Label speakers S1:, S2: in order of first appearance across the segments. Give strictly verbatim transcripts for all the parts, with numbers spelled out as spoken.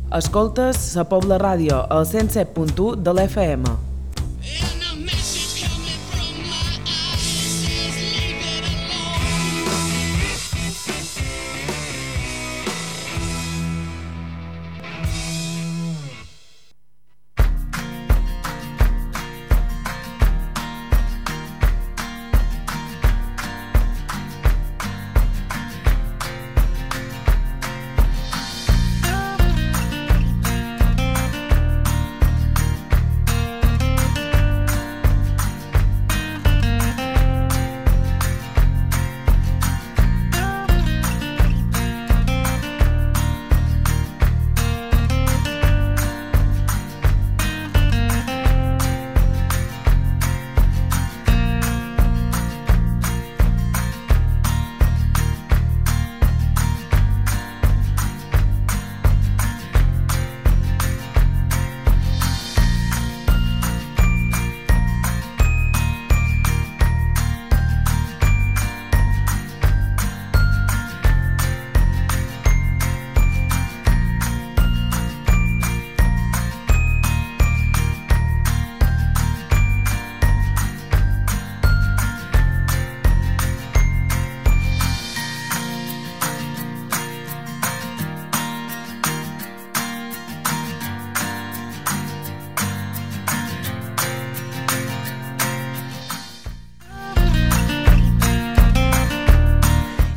S1: Escoltes la Pobla Ràdio, al cent set punt u de l'F M.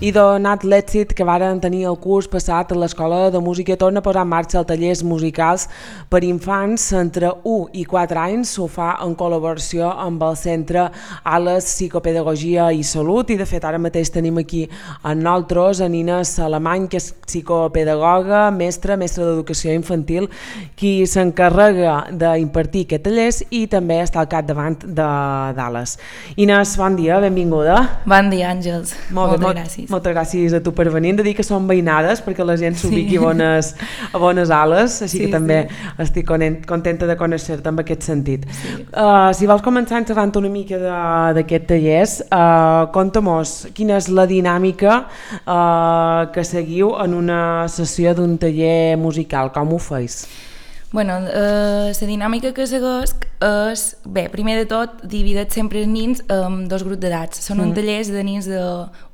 S1: I donat l'èxit que varen tenir el curs passat a l'Escola de Música, torna a posar en marxa els tallers musicals per infants entre u i quatre anys. Ho fa en col·laboració amb el Centre Ales Psicopedagogia i Salut, i de fet ara mateix tenim aquí amb nosaltres a Nina Salamany, que és psicopedagoga, mestra, mestra d'educació infantil, qui s'encarrega d'impartir aquests tallers i també està al capdavant d'Ales. Inés, bon dia, benvinguda.
S2: Bon dia, Àngels.
S1: Molt bé,
S2: moltes
S1: molt,
S2: gràcies.
S1: Moltes gràcies a tu per venir. Hem de dir que són veïnades perquè la gent s'ubiqui sí. a, bones, a bones ales, així sí, que també sí. estic contenta de conèixer-te en aquest sentit. Sí. Uh, si vols començar xerrant una mica d'aquest tallers, uh, conta-mos quina és la dinàmica uh, que seguiu en una sessió d'un taller musical, com ho feis?
S2: Bueno, eh, la dinàmica que segueix és, bé, primer de tot, dividit sempre els nins en dos grups d'edats. Són mm. uns tallers de nins de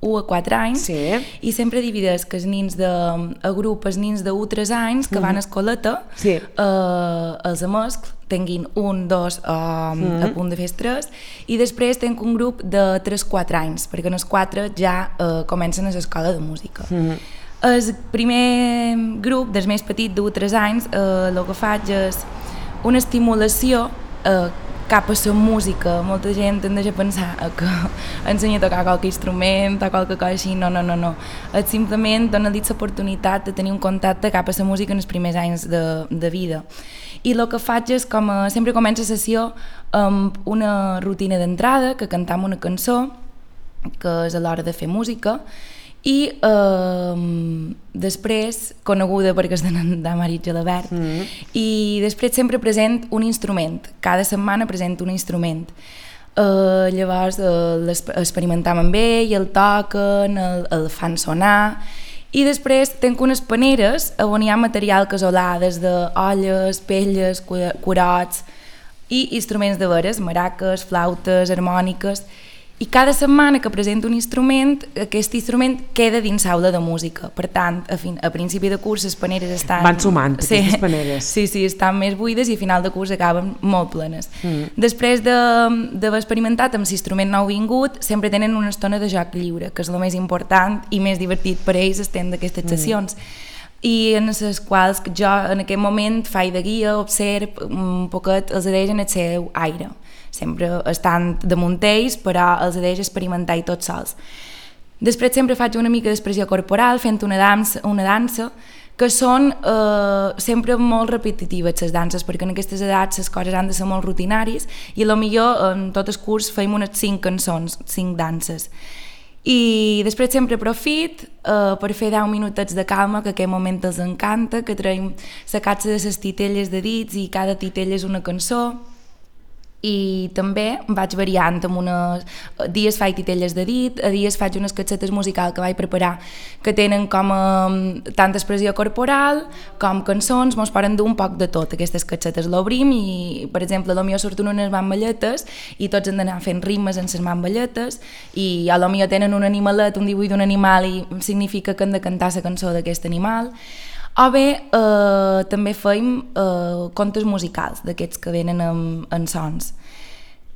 S2: u a quatre anys sí. i sempre divideix que els nins de, a grup, els nins de u a tres anys que mm. van a escoleta, sí. eh, els de mescl, tinguin un, dos eh, mm. a punt de fer tres, i després tenc un grup de tres a quatre anys, perquè en els quatre ja eh, comencen a l'escola de música. Mm. El primer grup, dels més petits, d'u a tres anys, eh, el que faig és una estimulació eh, cap a la música. Molta gent tendeix a pensar que ensenya a tocar qualque instrument o qualque cosa així. No, no, no, no. És simplement donar-li l'oportunitat de tenir un contacte cap a la música en els primers anys de, de vida. I el que faig és, com a, sempre comença la sessió amb una rutina d'entrada, que cantam una cançó, que és a l'hora de fer música, i eh, després, coneguda perquè és de Marit Gelabert, mm. i després sempre present un instrument, cada setmana present un instrument. Eh, llavors eh, experimentam amb ell, el toquen, el, el fan sonar, i després tenc unes paneres on hi ha material casolà, des d'olles, pelles, curots i instruments de veres, maraques, flautes, harmòniques. I cada setmana que presento un instrument, aquest instrument queda dins l'aula de música. Per tant, a, fin, a principi de curs les paneres estan...
S1: Van sumant,
S2: sí,
S1: aquestes paneres.
S2: Sí, sí, estan més buides i a final de curs acaben molt plenes. Mm. Després d'haver experimentat amb l'instrument nou vingut, sempre tenen una estona de joc lliure, que és el més important i més divertit per ells estem d'aquestes sessions. Mm. I en les quals jo en aquest moment faig de guia, observ un poquet, els adeix en el seu aire. Sempre estan damunt ells, però els adeix experimentar i tots sols. Després sempre faig una mica d'expressió corporal, fent una dansa, una dansa que són eh, sempre molt repetitives les danses, perquè en aquestes edats les coses han de ser molt rutinàries i potser en tot el curs feim unes cinc cançons, cinc danses. I després sempre profit eh, per fer deu minutets de calma, que aquest moment els encanta, que traiem la catxa de les titelles de dits i cada titella és una cançó. i també vaig variant amb unes... A dies faig titelles de dit, a dies faig unes cassetes musicals que vaig preparar que tenen com a, tant expressió corporal com cançons, mos poden dur un poc de tot aquestes cassetes, l'obrim i per exemple a lo millor surten unes mamballetes i tots hem d'anar fent rimes en les mamballetes i a lo millor tenen un animalet, un dibuix d'un animal i significa que hem de cantar la cançó d'aquest animal. O bé, eh, també feim eh, contes musicals, d'aquests que venen en, en sons.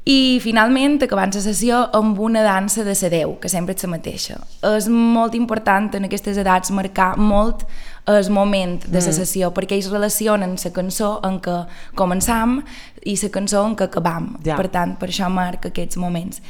S2: I finalment acabant la sessió amb una dansa de la Déu, que sempre és la mateixa. És molt important en aquestes edats marcar molt el moment de la sessió, mm. perquè ells relacionen la cançó en què començam i la cançó en què acabam. Ja. Per tant, per això marca aquests moments.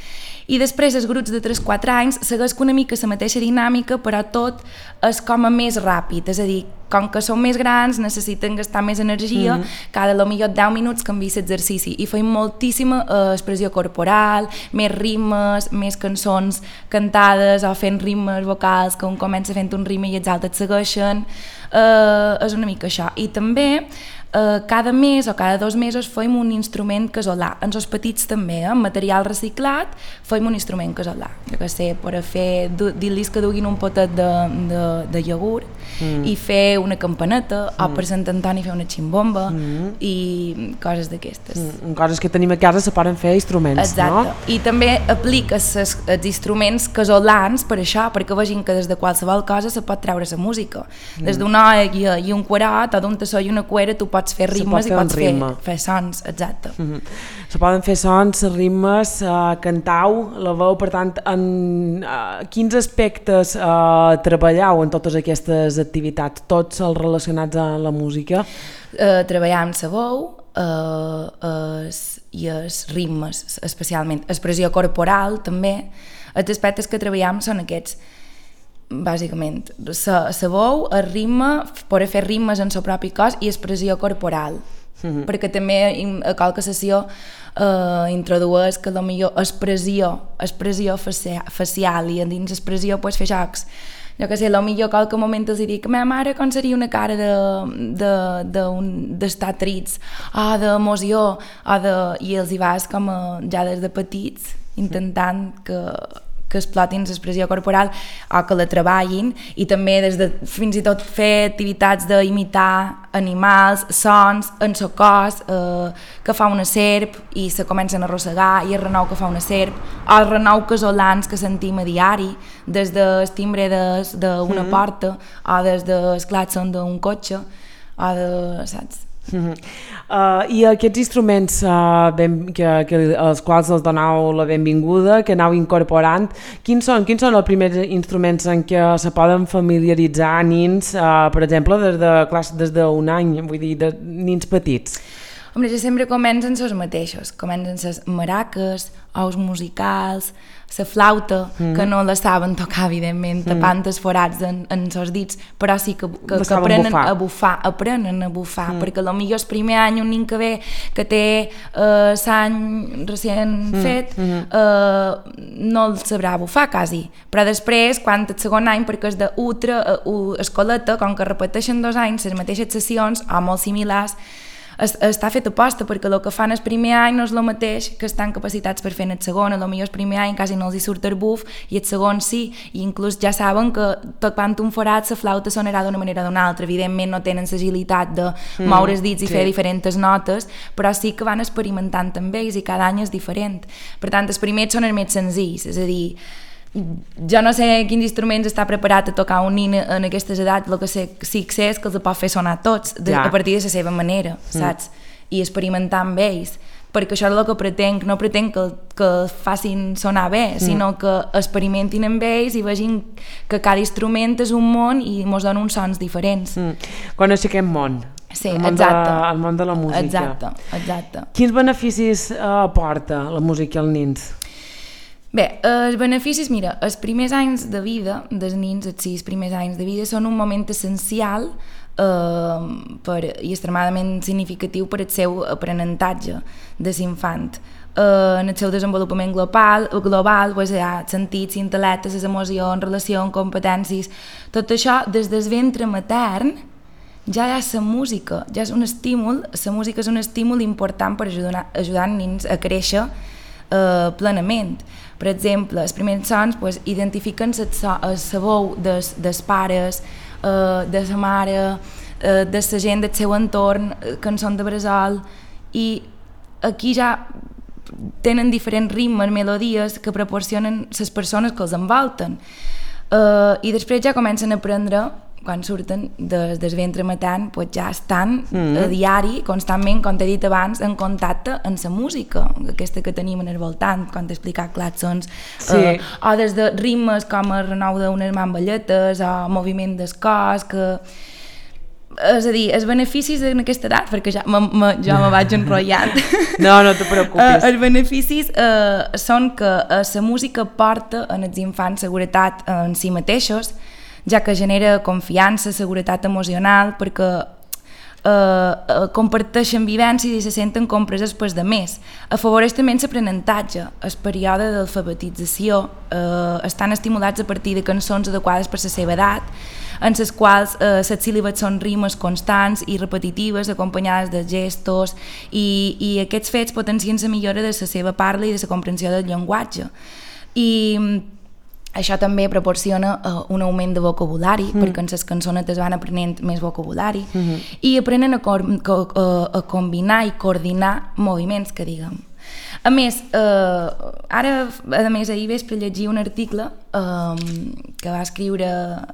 S2: I després els grups de tres quatre anys segueix una mica la mateixa dinàmica, però tot és com a més ràpid, és a dir, com que són més grans, necessiten gastar més energia, mm-hmm. cada lo millor deu minuts canvia l'exercici i feim moltíssima eh, expressió corporal, més rimes, més cançons cantades o fent rimes vocals, que un comença fent un rima i els altres segueixen, eh, és una mica això. I també Uh, cada mes o cada dos mesos feim un instrument casolà, en els petits també, eh? Amb material reciclat feim un instrument casolà, jo que sé, per a fer, dir-los que duguin un potet de, de, de iogurt mm. i fer una campaneta, mm. o per Sant Antoni fer una ximbomba mm. i coses d'aquestes.
S1: Mm. Coses que tenim a casa se poden fer instruments,
S2: exacte.
S1: No?
S2: I també apliques els instruments casolans per això, perquè vegin que des de qualsevol cosa se pot treure la música. Mm. Des d'una olla i un quarot o d'un tassó i una cuera tu pots fer rimes i pots fer, fer sons, exacte.
S1: Mm-hmm. Se poden fer sons, rimes, uh, cantau, la veu, per tant, en uh, quins aspectes uh, treballeu en totes aquestes activitats, tots els relacionats amb la música?
S2: Uh, treballar amb la veu uh, es, i els ritmes, especialment. Expressió corporal, també. Els aspectes que treballem són aquests, bàsicament, la veu, el ritme, poder fer rimes en el propi cos i expressió corporal, mm-hmm. perquè també a qualque sessió eh, introdueix que potser expressió, expressió facial i a dins expressió pues, fer jocs. Jo que sé, potser a qualque moment els dic, meva mare com seria una cara d'estar de, de, de trits, o d'emoció, o de... i els hi vas com a, ja des de petits, intentant que que explotin l'expressió corporal o que la treballin i també des de fins i tot fer activitats d'imitar animals, sons en el cos, eh, que fa una serp i se comencen a arrossegar i el renou que fa una serp o els renou casolans que sentim a diari des del timbre d'una mm-hmm. porta o des del clàxon d'un cotxe o de... saps?
S1: Uh-huh. Uh, I aquests instruments uh, ben, que, que, als quals els donau la benvinguda, que aneu incorporant, quins són, quins són els primers instruments en què se poden familiaritzar nins, uh, per exemple, des de classe, des d'un any, vull dir, de nins petits?
S2: Home, ja sempre comencen els mateixos, comencen les maraques, ous musicals, la flauta, mm. que no la saben tocar, evidentment, tapant mm. els forats en, en els dits, però sí que, que, que aprenen bufar. a bufar, aprenen a bufar, mm. perquè potser el primer any un nin que ve, que té eh, l'any recient mm. fet, mm. eh, no el sabrà bufar, quasi. Però després, quan el segon any, perquè és d'ultra, uh, escoleta, com que repeteixen dos anys les mateixes sessions, o molt similars, es, està fet aposta, perquè el que fan el primer any no és el mateix que estan capacitats per fer en el segon, a lo millor el primer any quasi no els hi surt el buf i el segon sí, i inclús ja saben que tocant un forat la flauta sonarà d'una manera o d'una altra, evidentment no tenen l'agilitat de moure els dits i sí. fer diferents notes, però sí que van experimentant amb ells i cada any és diferent. Per tant, els primers són els més senzills, és a dir, jo no sé quins instruments està preparat a tocar un nin en aquestes edats, el que sé, sí que sé és que els pot fer sonar tots de, ja. a partir de la seva manera, saps? Mm. I experimentar amb ells, perquè això és el que pretenc, no pretenc que, que facin sonar bé, mm. sinó que experimentin amb ells i vegin que cada instrument és un món i mos donen uns sons diferents.
S1: Mm. Quan aixequem món.
S2: Sí,
S1: el món
S2: exacte.
S1: De, el món de la música.
S2: Exacte, exacte.
S1: Quins beneficis eh, aporta la música als nins?
S2: Bé, els beneficis, mira, els primers anys de vida dels nins, els sis primers anys de vida, són un moment essencial eh, per, i extremadament significatiu per al seu aprenentatge de l'infant. Eh, en el seu desenvolupament global, global pues, hi ha sentits, intel·lectes, les emocions, relacions, competències, tot això des del ventre matern ja hi ha la música, ja és un estímul, la música és un estímul important per ajudar, ajudar els nens a créixer eh, plenament. Per exemple, els primers sons pues, identifiquen la veu dels, dels pares, eh, de la mare, eh, de la gent del seu entorn, cançons de bressol, i aquí ja tenen diferents ritmes, melodies que proporcionen les persones que els envolten. Uh, I després ja comencen a aprendre, quan surten des, des ventre matant, pues ja estan mm. a diari, constantment, com t'he dit abans, en contacte amb la música, aquesta que tenim en el voltant, com t'he explicat, clàxons, sí. uh, o des de ritmes com el renou d'unes mamballetes, o moviment del cos, que... És a dir, els beneficis en aquesta edat, perquè ja me, me, jo me vaig enrotllant.
S1: No, no te preocupis.
S2: Uh, els beneficis uh, són que uh, la música porta en els infants seguretat en si mateixos, ja que genera confiança, seguretat emocional, perquè uh, uh, comparteixen vivències i se senten compreses pels demés. Afavoreix també l'aprenentatge. El període d'alfabetització uh, estan estimulats a partir de cançons adequades per la seva edat, en les quals eh, les síl·labes són rimes constants i repetitives, acompanyades de gestos, i, i aquests fets potencien la millora de la seva parla i de la comprensió del llenguatge. I això també proporciona uh, un augment de vocabulari, mm. perquè en les cançonetes van aprenent més vocabulari, mm -hmm. i aprenen a, cor a, a combinar i coordinar moviments, que diguem. A més, eh, ara, a més, ahir vespre llegia un article eh, que va escriure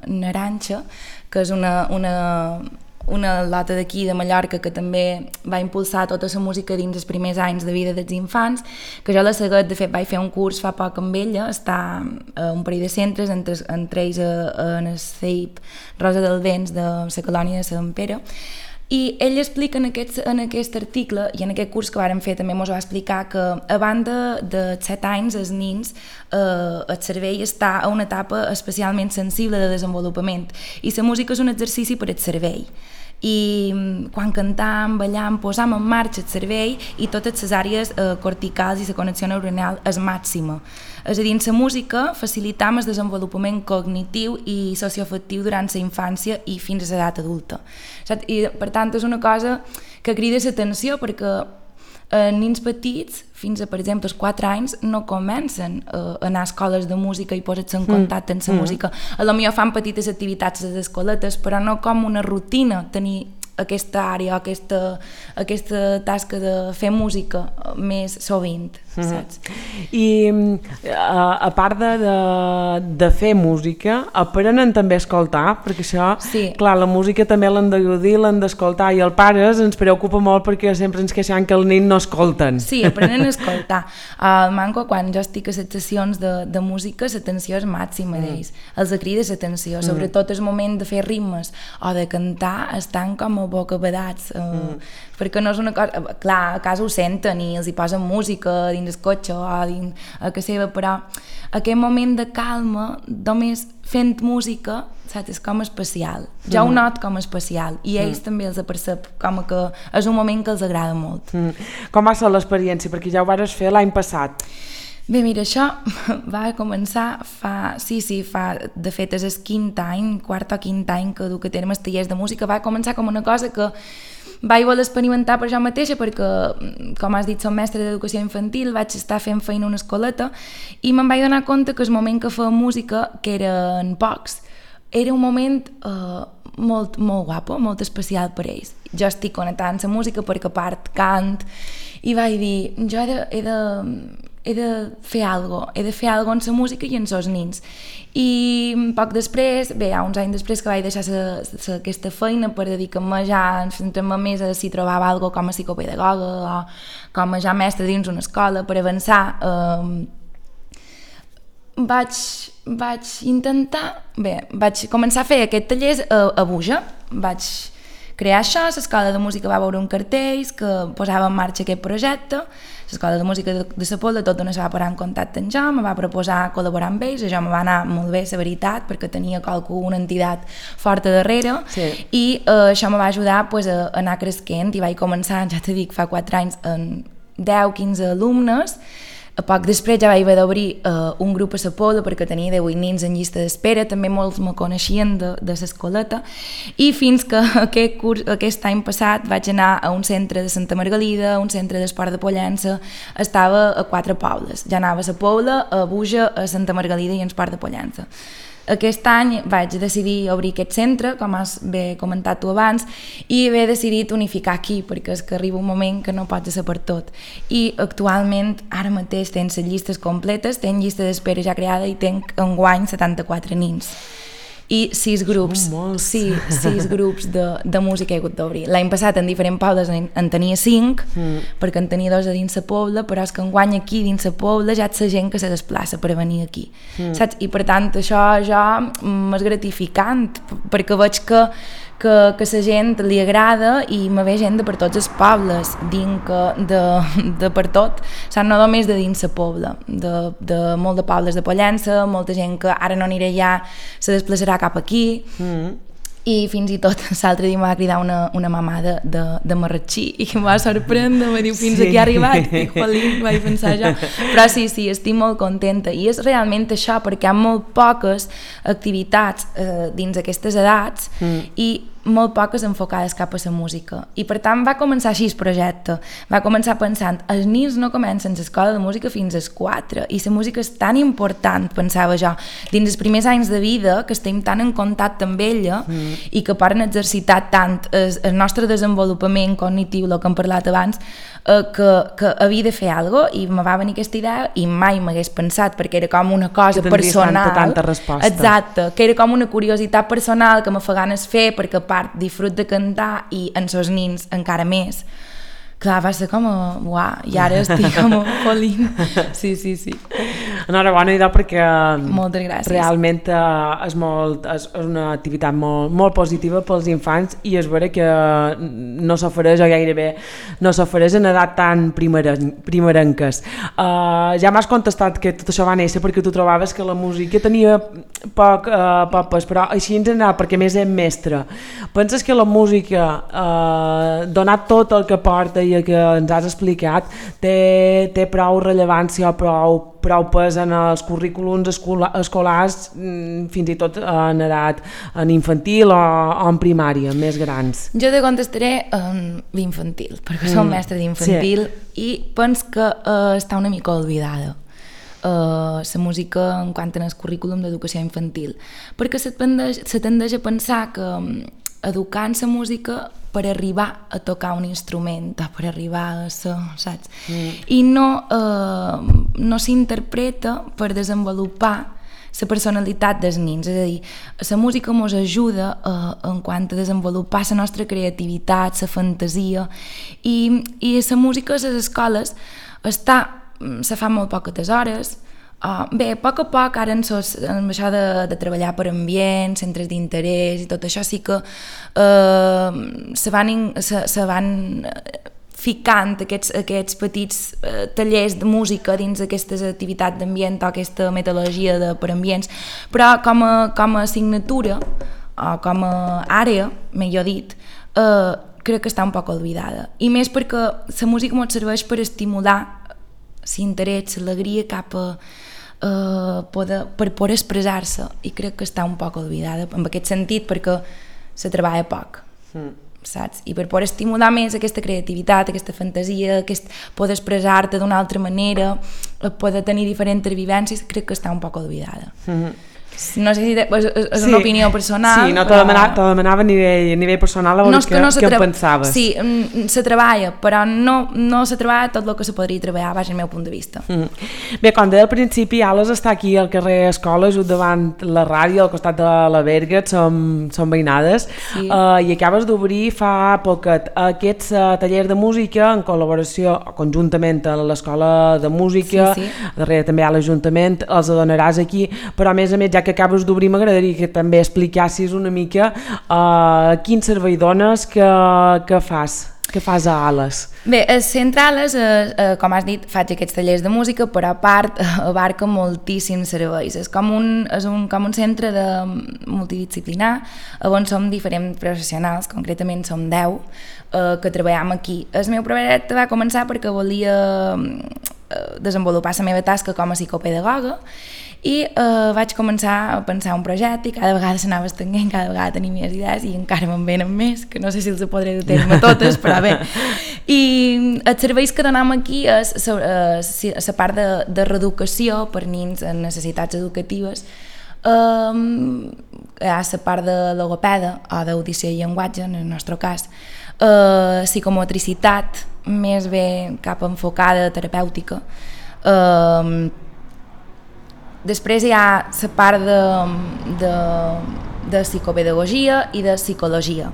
S2: Naranxa, que és una, una, una lota d'aquí de Mallorca que també va impulsar tota la música dins els primers anys de vida dels infants, que jo la seguet, de fet vaig fer un curs fa poc amb ella, està a un parell de centres, entre, entre ells en el C I P Rosa del Vents de la colònia de Sant Pere. I ell explica en aquest, en aquest article, i en aquest curs que vàrem fer també ens va explicar, que a banda de set anys els nens, eh, el cervell està a una etapa especialment sensible de desenvolupament, i la música és un exercici per al cervell. I quan cantam, ballam, posam en marxa el cervell i totes les àrees eh, corticals i la connexió neuronal és màxima. És a dir, en la música facilitam el desenvolupament cognitiu i socioafectiu durant la infància i fins a l'edat adulta. I, per tant, és una cosa que crida l'atenció, perquè eh, nens petits, fins a, per exemple, als quatre anys, no comencen a anar a escoles de música i posar-se en contacte amb la mm. música. A lo millor fan petites activitats a les escoletes, però no com una rutina tenir aquesta àrea, aquesta, aquesta tasca de fer música més sovint, saps?
S1: Mm-hmm. I a, a part de, de, de fer música, aprenen també a escoltar, perquè això, sí. clar, la música també l'han de gaudir, l'han d'escoltar, i els pares ens preocupa molt perquè sempre ens queixem que els nens no escolten.
S2: Sí, aprenen a escoltar. Al Manco, quan jo estic a les sessions de, de música, l'atenció és màxima mm. d'ells. Els crida l'atenció, sobretot el moment de fer ritmes o de cantar, estan com a bocabadats, eh, mm. perquè no és una cosa... Clar, a casa ho senten i els hi posen música dins el cotxe o dins a casa seva, però aquest moment de calma, només fent música, saps, és com especial. Jo mm. ho not com especial, i ells mm. també els apercep com que és un moment que els agrada molt.
S1: Mm. Com va ser l'experiència? Perquè ja ho vas fer l'any passat.
S2: Bé, mira, això va començar fa... Sí, sí, fa... De fet, és el quint any, quart o quint any que duc a terme els tallers de música. Va començar com una cosa que vaig voler experimentar per jo mateixa, perquè, com has dit, som mestre d'educació infantil, vaig estar fent feina a una escoleta i me'n vaig donar compte que el moment que feia música, que eren pocs, era un moment eh, molt, molt guapo, molt especial per ells. Jo estic connectada amb la música perquè a part cant, i vaig dir, jo he de... He de he de fer alguna cosa, he de fer alguna cosa amb la música i amb els nens. I poc després, bé, uns anys després que vaig deixar sa, sa, aquesta feina per dedicar-me ja, centrar-me més a si trobava alguna cosa com a psicopedagoga o com a ja mestre dins una escola per avançar, eh, vaig, vaig intentar, bé, vaig començar a fer aquests tallers a, a Buja, vaig crear això, l'escola de música va veure un cartell que posava en marxa aquest projecte. L'escola de música de, de la Pobla tot d'una se va posar en contacte amb jo, me va proposar col·laborar amb ells, això me va anar molt bé, la veritat, perquè tenia qualcú, una entitat forta darrere, sí. i eh, això me va ajudar pues, a anar creixent, i vaig començar, ja t'he dit, fa quatre anys, amb deu quinze alumnes, A poc després ja vaig haver d'obrir uh, un grup a la Pobla perquè tenia divuit nins en llista d'espera, també molts me coneixien de, de l'escoleta, i fins que aquest, curs, aquest any passat vaig anar a un centre de Santa Margalida, a un centre d'esport de Pollença, estava a quatre pobles, ja anava a la Pobla, a Buja, a Santa Margalida i a Esport de Pollença. Aquest any vaig decidir obrir aquest centre, com has bé comentat tu abans, i he decidit unificar aquí, perquè és que arriba un moment que no pots ser per tot. I actualment, ara mateix, tens les llistes completes, tens llista d'espera ja creada i tenc enguany setanta-quatre nins. I sis grups, sí, sis grups de, de música he hagut d'obrir. L'any passat en diferents pobles en, en tenia cinc, mm. perquè en tenia dos a dins la Pobla, però és que enguany aquí dins la Pobla ja és la gent que se desplaça per venir aquí, mm. saps? I per tant això ja m'és gratificant, perquè veig que que, que la gent li agrada i me ve gent de per tots els pobles, dinc de, de per tot, o sigui, no només de dins la Pobla, de, de molt de pobles de Pollença, molta gent que ara no anirà allà, se desplaçarà cap aquí, mm. i fins i tot l'altre dia em va cridar una, una mamà de, de, de Marratxí i que em va sorprendre, me diu fins sí. aquí ha arribat, i jolín, vaig pensar jo, però sí, sí, estic molt contenta i és realment això, perquè hi ha molt poques activitats eh, dins aquestes edats mm. i molt poques enfocades cap a la música, i per tant va començar així el projecte, va començar pensant els nins no comencen l'escola de música fins als quatre, i la música és tan important, pensava jo, dins els primers anys de vida, que estem tan en contacte amb ella mm. i que poden exercitar tant el, el nostre desenvolupament cognitiu, el que hem parlat abans, eh, que, que havia de fer alguna cosa, i me va venir aquesta idea i mai m'hagués pensat, perquè era com una cosa
S1: que
S2: personal,
S1: tanta, tanta resposta.
S2: Exacte, que era com una curiositat personal que me fa ganes fer, perquè part disfrut de cantar i en sos nins encara més. Clar, va ser com a... Uah, i ara estic com a jolín. Sí, sí, sí.
S1: Enhorabona, idò, perquè
S2: moltes gràcies.
S1: Realment eh, és, molt, és una activitat molt, molt positiva pels infants i és vera que no s'ofereix, o gairebé no s'ofereix en edat tan primeren, primerenques. Uh, ja m'has contestat que tot això va néixer perquè tu trobaves que la música tenia poc, uh, poc pes, però així en general, perquè més és mestre. Penses que la música, uh, donat tot el que porta i el que ens has explicat, té, té prou rellevància o prou, prou pes en els currículums escola, escolars, fins i tot en edat en infantil o, o en primària, més grans?
S2: Jo te contestaré en infantil, perquè mm. som mestre d'infantil, sí. i penso que uh, està una mica oblidada. Uh, la música en quant al currículum d'educació infantil, perquè se tendeix, se tendeix a pensar que um, educar en la música per arribar a tocar un instrument o per arribar a ser, saps? Mm. I no, uh, no s'interpreta per desenvolupar la personalitat dels nins, és a dir, la música ens ajuda uh, en quant a desenvolupar la nostra creativitat, la fantasia, i, i la música a les escoles està, se fa molt poques hores. Uh, bé, a poc a poc, ara en, sos, en això de, de treballar per ambients, centres d'interès i tot això, sí que uh, se van, in, se, se van ficant aquests, aquests petits uh, tallers de música dins d'aquestes activitats d'ambient o aquesta metodologia de, per ambients, però com a, com a assignatura o com a àrea, millor dit, uh, crec que està un poc oblidada. I més perquè la música ens serveix per estimular l'interès, l'alegria cap a Uh, poder, per poder expressar-se, i crec que està un poc oblidada en aquest sentit, perquè se treballa poc, mm. saps? I per poder estimular més aquesta creativitat, aquesta fantasia, aquest poder expressar-te d'una altra manera, poder tenir diferents vivències, crec que està un poc oblidada. Mm-hmm. No sé si de, és, és sí. una opinió personal.
S1: Sí, no,
S2: però...
S1: te demanava, te demanava a nivell, a nivell personal, a veure no què, no què tra... pensaves.
S2: Sí, se treballa, però no, no se treballa tot el que se podria treballar, vaja, el meu punt de vista.
S1: Mm. Bé, com deia al principi, Ales està aquí al carrer Escola, just davant la ràdio, al costat de la Berget, som, som veïnades, sí. uh, i acabes d'obrir fa poquet aquests uh, tallers de música en col·laboració, conjuntament a l'Escola de Música, sí, sí. darrere també a l'Ajuntament, els adonaràs aquí, però a més a més, ja que acabes d'obrir, m'agradaria que també explicassis una mica uh, quin servei dones que, que fas, que fas a Ales.
S2: Bé, el centre Ales, eh, eh, com has dit, faig aquests tallers de música, però a part eh, abarca moltíssims serveis. És com un, és un, com un centre de multidisciplinar, on som diferents professionals, concretament som deu, eh, que treballem aquí. El meu projecte va començar perquè volia desenvolupar la meva tasca com a psicopedagoga i eh, vaig començar a pensar un projecte i cada vegada s'anava estenent, cada vegada tenia més idees i encara me'n venen més, que no sé si els podré dur terme totes, però bé. I els serveis que donem aquí és la part de, de reeducació per nens amb necessitats educatives. Um, hi ha la part de logopeda o d'audició i llenguatge, en el nostre cas, uh, psicomotricitat, més bé cap enfocada terapèutica. Um, després hi ha la part de, de, de psicopedagogia i de psicologia.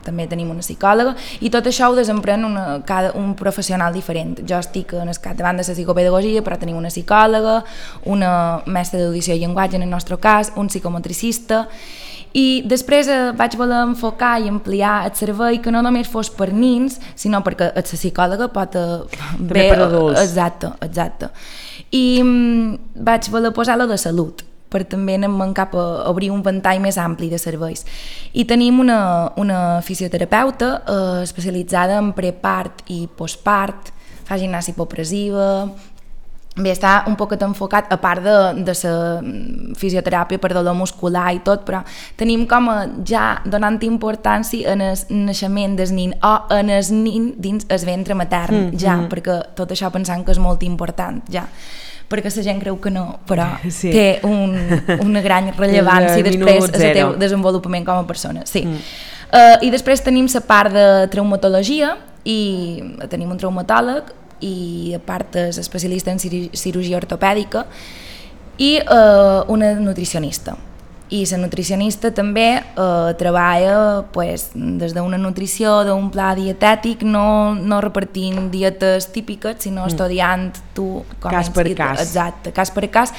S2: També tenim una psicòloga i tot això ho desemprèn una, cada, un professional diferent. Jo estic en el capdavant de la psicopedagogia, però tenim una psicòloga, una mestra d'audició i llenguatge en el nostre cas, un psicomotricista, i després eh, vaig voler enfocar i ampliar el servei que no només fos per nens, sinó perquè la psicòloga pot eh,
S1: també per adults.
S2: Exacte, exacte. I mm, vaig voler posar-la de salut, per també anem cap a obrir un ventall més ampli de serveis. I tenim una, una fisioterapeuta eh, especialitzada en prepart i postpart, fa gimnàsia hipopressiva, bé, està un poc enfocat, a part de, de la fisioteràpia per dolor muscular i tot, però tenim com a ja donant importància en el naixement del nin o en el nin dins el ventre matern, mm, ja, mm. perquè tot això pensant que és molt important, ja. Perquè la gent creu que no, però sí. té un, una gran rellevància després al teu desenvolupament com a persona. Sí. Mm. Uh, I després tenim la part de traumatologia i tenim un traumatòleg i a part és especialista en cirurgia ortopèdica i uh, una nutricionista. I la nutricionista també eh, treballa pues, des d'una nutrició, d'un pla dietètic, no, no repartint dietes típiques, sinó mm. estudiant tu... Com
S1: cas per cas.
S2: Exacte, cas per cas.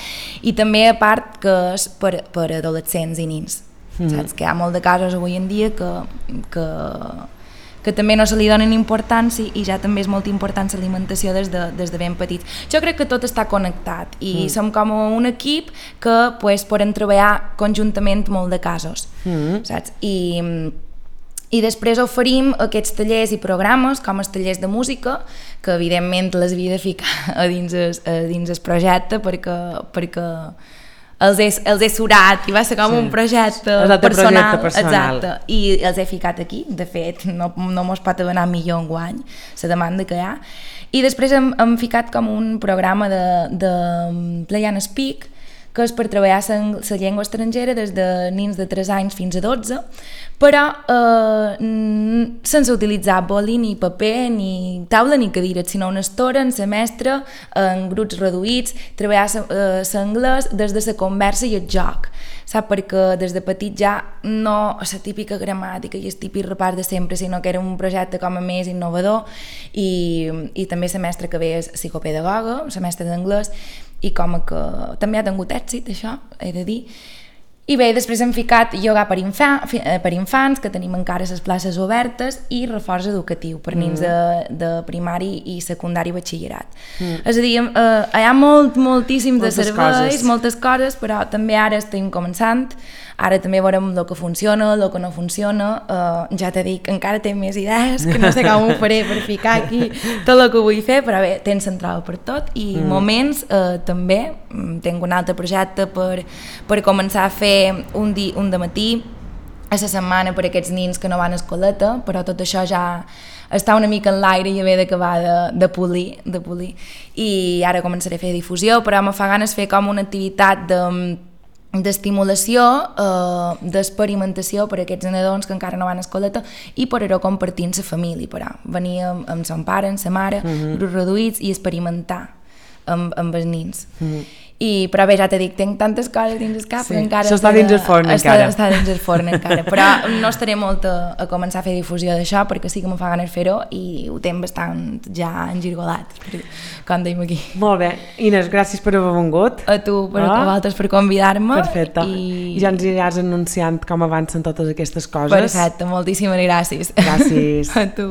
S2: I també a part que és per, per adolescents i nins. Mm. Saps que hi ha molt de casos avui en dia que, que, que també no se li donen importància i ja també és molt important l'alimentació des, de, des de ben petits. Jo crec que tot està connectat i mm. som com un equip que pues, podem treballar conjuntament molt de casos, mm. saps? I, I després oferim aquests tallers i programes com els tallers de música, que evidentment les havia de ficar a dins el, a dins el projecte perquè, perquè els he, els he surat i va ser com sí. un projecte personal,
S1: projecte personal.
S2: Exacte, i els he ficat aquí, de fet no, no mos pot anar millor enguany la demanda que hi ha, i després hem, hem ficat com un programa de, de Play and Speak, que és per treballar la llengua estrangera des de nens de tres anys fins a dotze, però eh, sense utilitzar boli, ni paper, ni taula, ni cadires, sinó una estora, en semestre, en grups reduïts, treballar l'anglès des de la conversa i el joc, saps? Perquè des de petit ja no la típica gramàtica i el típic repàs de sempre, sinó que era un projecte com a més innovador, i, i també la mestra que ve és psicopedagoga, la mestra d'anglès, i com que també ha tingut èxit, això, he de dir. I bé, després hem ficat ioga per, infa, per infants, que tenim encara les places obertes, i reforç educatiu per nens mm. de, de primari i secundari i batxillerat. Mm. És a dir, eh, hi ha molt, moltíssim moltes de serveis, coses. moltes coses, però també ara estem començant, ara també veurem el que funciona, el que no funciona, eh, ja t'he dit que encara té més idees, que no sé com ho faré per ficar aquí tot el que vull fer, però bé, tens central per tot, i mm. moments eh, també, tinc un altre projecte per, per començar a fer un, di, un dematí a la setmana per a aquests nins que no van a escoleta, però tot això ja està una mica en l'aire i haver d'acabar de, de, polir, de polir, i ara començaré a fer difusió, però me fa ganes fer com una activitat de d'estimulació, eh, d'experimentació per a aquests nadons que encara no van a escoleta i per a compartir amb la família, per a venir amb, amb son pare, amb sa mare, mm-hmm. grups reduïts, i experimentar amb, amb els nins. Mm-hmm. I, però bé, ja t'he dit, tinc tantes coses dins el cap, sí. que encara...
S1: Això està dins el forn,
S2: està,
S1: encara.
S2: Està dins el forn, encara. Però no estaré molt a, a començar a fer difusió d'això, perquè sí que me fa ganes fer-ho i ho tinc bastant ja engirgolat, com deim aquí.
S1: Molt bé. Inés, gràcies per haver vengut.
S2: A tu, per, ah. a vosaltres, per convidar-me.
S1: Perfecte. I... I ja ens aniràs anunciant com avancen totes aquestes coses.
S2: Perfecte, moltíssimes gràcies.
S1: Gràcies.
S2: A tu.